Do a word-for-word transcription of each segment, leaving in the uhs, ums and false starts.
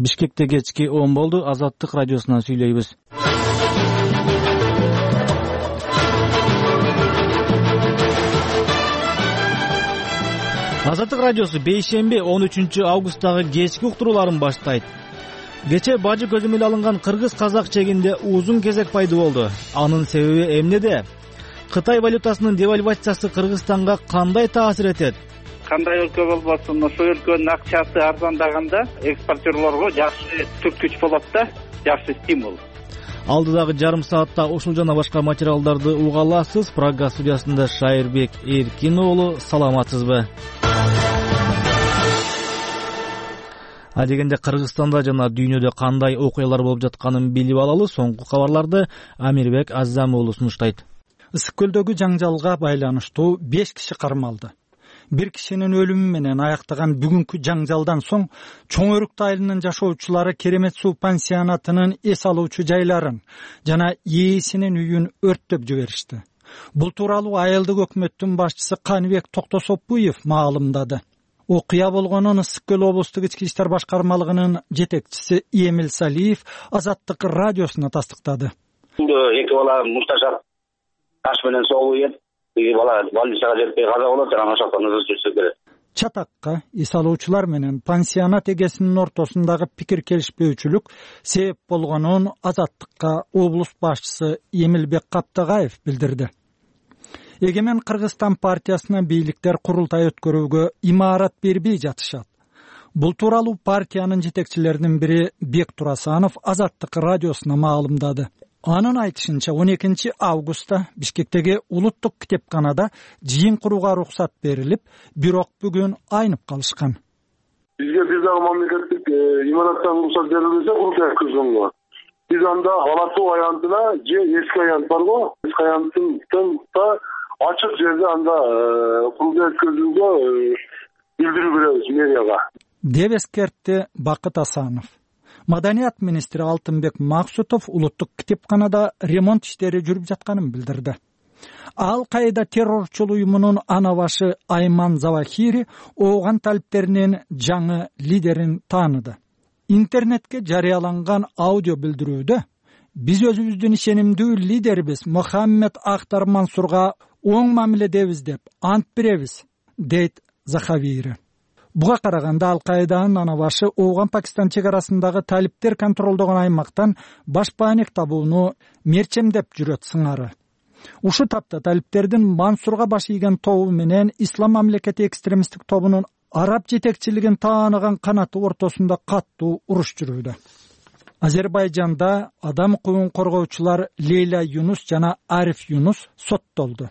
Бишкекте кечки он болду. Азаттык радиосунан сүйлөйбүз. Азаттык радиосу бейшемби он үчүнчү августтагы кечки уктурууларын баштайт. Кече бажы көзөмөл алынган кыргыз-казак чегинде узун кезек пайда болду. Анын себеби эмнеде? Кытай валютасынын девальвациясы Кыргызстанга кандай таасир этет? Кандай өлкө болбосун, ошол өлкөнүн акчасы арзандаганда экспортерлорго жакшы түрткүч болот да, жакшы стимул. Алдыдагы жарым саатта ушул жана башка материалдарды уга аласыз. Прага студиясында Шайырбек Эркин уулу, саламатсызбы? Адегенде Кыргызстанда жана дүйнөдө кандай окуялар болуп жатканын билип алалы. Соңку кабарларды Амирбек Аззам уулу сунуштайт. Ысык көлдөгү жаңжалга байланыштуу беш киши кармалды. Бир кишинин өлүмү менен аяктаган бүгүнкү жаңжалдан соң Чоң Өрүктү айылынын жашоочулары Керемет суу пансионатынын эс алуучу жайларын жана ээсинин үйүн өрттөп жиберишти. Бул тууралуу айылдык өкмөттүн башчысы Каныбек Токтосопуев маалымдады. Окуя болгонун Ысык көл облустук ички иштер башкармалыгынын жетекчиси Эмил Салиев Азаттык радиосуна тастыктады. Эки бала мушташат таш менен согуу ет. Эки бала больницага жетпей каза болот, анан ошоктон ызы жүрсө керек. Чатакка эс алуучулар менен пансионат эгесинин ортосундагы пикир келишпөөчүлүк себеп болгонун Азаттыкка облус башчысы Эмилбек Каптагаев билдирди. Эгемен Кыргызстан партиясына бийликтер курултай өткөрүүгө имарат бербей жатышат. Бул тууралуу партиянын жетекчилеринин бири Бек Турасанов Азаттык радиосуна маалымдады. Анын айтышынча он экинчи августта Бишкектеги улуттук китепканада жыйын курууга уруксат берилип, бирок бүгүн айнып калышкан. Бизге бир дагы мамлекеттик имараттан уруксат берилбесе, курултай өткөзгөнгө. Биз анда Алатуу аянтына же эски аянт барго, эски аянттын да ачык жерде анда курултай өткөзүүгө билдирүү беребиз мэрияга, деп эскертти Бакыт Асанов. Маданият министри Алтынбек Максутов улуттук китепканада ремонт иштери жүрүп жатканын билдирди. Ал Кайда террорчул уюмунун ана башы Айман Завахири ооган талиптеринин жаңы лидерин тааныды. Интернетке жарыяланган аудио билдирүүдө биз өзүбүздүн ишенимдүү лидерибиз Мухаммед Ахтар Мансурга оң мамиледебиз деп ант беребиз, дейт Захавири. Буга караганда Ал-Кайданын ана башы ооган Пакистан чек арасындагы талиптер контролдогон аймактан баш бааник табууну мерчемдеп жүрөт сыңары. Ушу тапта талиптердин Мансурга баш ийген тобу менен Ислам мамлекети экстремисттик тобунун араб жетекчилигин тааныган канаты ортосунда каттуу уруш жүрүүдө. Азербайжанда адам укугун коргоочулар Лейла Юнус жана Ариф Юнус соттолду.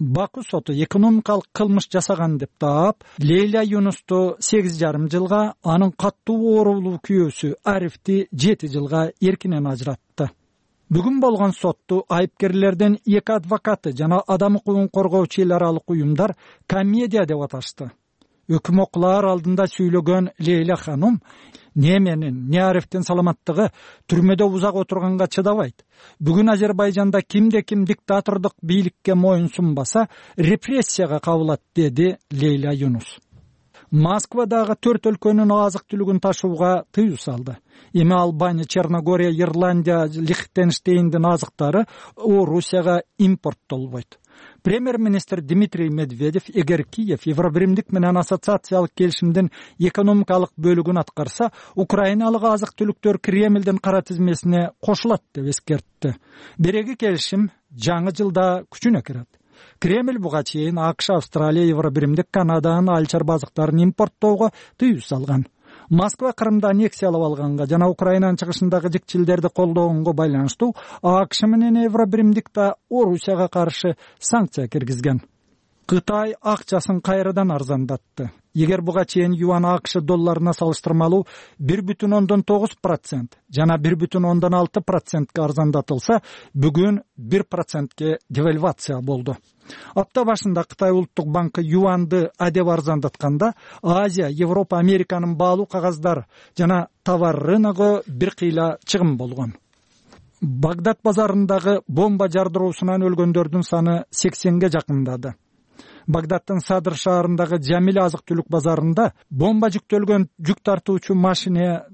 Баку соту экономикалык кылмыш жасаган деп таап, Лейла Юнусту сегиз жарым жылга, анын каттуу оорулуу күйөөсү Арифти жети жылга эркинен ажыратты. Бүгүн болгон сотту айыпкерлердин эки адвокаты жана адам укугун коргоочу эл аралык уюмдар комедия деп аташты. Өкүм окуулар алдында сүйлөгөн Лейла ханум не менин, не Арифтин саламаттыгы түрмөдө узак отурганга чыдабайт. Бүгүн Азербайжанда кимде ким диктатордук бийликке моюн сунбаса, репрессияга кабылат, деди Лейла Юнус. Москвадагы төрт өлкөнүн азык түлүгүн ташууга тыюу салды. Эми Албания, Черногория, Ирландия, Лихтенштейндин азыктары Орусияга импорттолбойт. Премьер-министр Дмитрий Медведев эгер Киев Евробиримдик менен ассоциациялык келишимдин экономикалык бөлүгүн аткарса, украиналык азык түлүктөр Кремлдин кара тизмесине кошулат деп эскертти. Береги келишим жаңы жылда күчүнө кирет. Кремль буга чейин АКШ, Австралия, Евробиримдик Канаданын алчар базыктарын импорттоого тыюу салган. Москва Крымды аннексиялап алганга жана Украинанын чыгышындагы жикчилдерди колдогонго байланыштуу АКШ менен Евробиримдик да Орусияга каршы санкция киргизген. Кытай акчасын кайрадан арзандатты. Эгер буга чейин юан АКШ долларына салыштырмалуу бир бүтүн ондон тогуз процент жана бир бүтүн ондон алты процентке арзандатылса, бүгүн бир процентке девальвация болду. Апта башында Кытай улуттук банкы юанды адеп арзандатканда, Азия, Европа, Американын баалуу кагаздары жана товар рыногу бир кыйла чыгым болгон. Багдад базарындагы бомба жардыруусунан өлгөндөрдүн саны сексенге жакындады. Багдадтын Садыр шаарындагы Жамил азык түлүк базарында бомба жүктөлгөн жүк тартуучу машина